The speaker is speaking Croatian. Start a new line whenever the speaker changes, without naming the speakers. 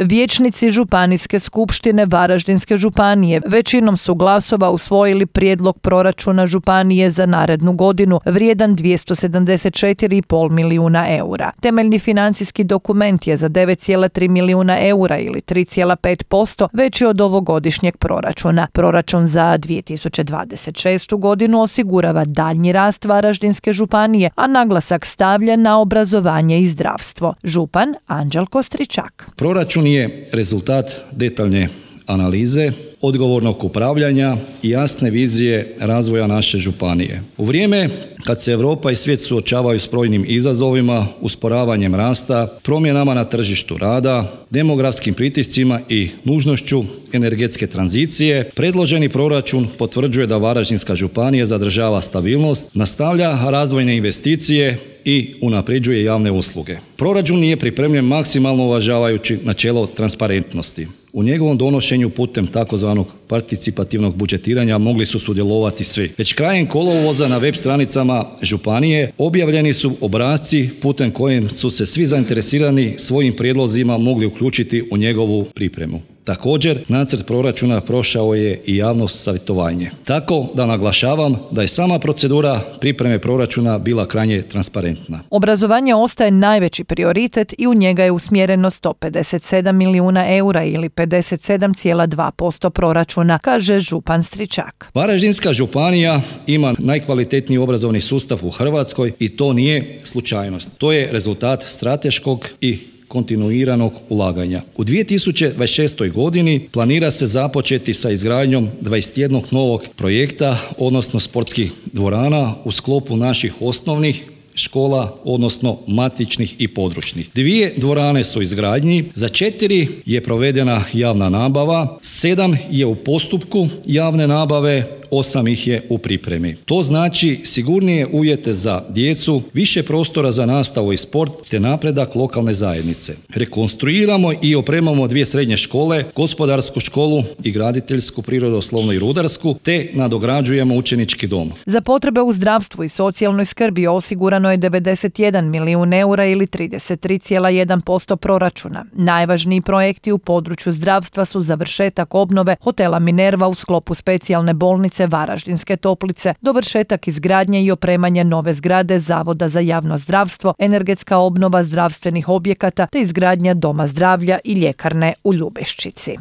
Vijećnici Županijske skupštine Varaždinske županije većinom su glasova usvojili prijedlog proračuna županije za narednu godinu vrijedan 274,5 milijuna eura. Temeljni financijski dokument je za 9,3 milijuna eura ili 3,5% veći od ovogodišnjeg proračuna. Proračun za 2026. godinu osigurava daljnji rast Varaždinske županije, a naglasak stavlja na obrazovanje i zdravstvo. Župan Anđelko Stričak.
Proračun je rezultat detaljne analize, odgovornog upravljanja i jasne vizije razvoja naše županije. U vrijeme kad se Europa i svijet suočavaju s brojnim izazovima, usporavanjem rasta, promjenama na tržištu rada, demografskim pritiscima i nužnošću energetske tranzicije, predloženi proračun potvrđuje da Varaždinska županija zadržava stabilnost, nastavlja razvojne investicije i unapređuje javne usluge. Proračun je pripremljen maksimalno uvažavajući načelo transparentnosti. U njegovom donošenju putem takozvanog participativnog budžetiranja mogli su sudjelovati svi. Već krajem kolovoza na web stranicama županije objavljeni su obrasci putem kojim su se svi zainteresirani svojim prijedlozima mogli uključiti u njegovu pripremu. Također, nacrt proračuna prošao je i javno savjetovanje. Tako da naglašavam da je sama procedura pripreme proračuna bila krajnje transparentna.
Obrazovanje ostaje najveći prioritet i u njega je usmjereno 157 milijuna eura ili 57,2% proračuna, kaže župan Stričak.
Varaždinska županija ima najkvalitetniji obrazovni sustav u Hrvatskoj i to nije slučajnost. To je rezultat strateškog i kontinuiranog ulaganja. U 2026. godini planira se započeti sa izgradnjom 21 novog projekta, odnosno sportskih dvorana u sklopu naših osnovnih škola, odnosno matičnih i područnih. 2 dvorane su u izgradnji, za 4 je provedena javna nabava, 7 je u postupku javne nabave, 8 ih je u pripremi. To znači sigurnije uvjete za djecu, više prostora za nastavu i sport te napredak lokalne zajednice. Rekonstruiramo i opremamo 2 srednje škole, gospodarsku školu i graditeljsku, prirodoslovnu i rudarsku, te nadograđujemo učenički dom.
Za potrebe u zdravstvu i socijalnoj skrbi osigurano je 91 milijun eura ili 33,1% proračuna. Najvažniji projekti u području zdravstva su završetak obnove hotela Minerva u sklopu specijalne bolnice Varaždinske Toplice, dovršetak izgradnje i opremanje nove zgrade Zavoda za javno zdravstvo, energetska obnova zdravstvenih objekata te izgradnja doma zdravlja i ljekarne u Ljubeščici.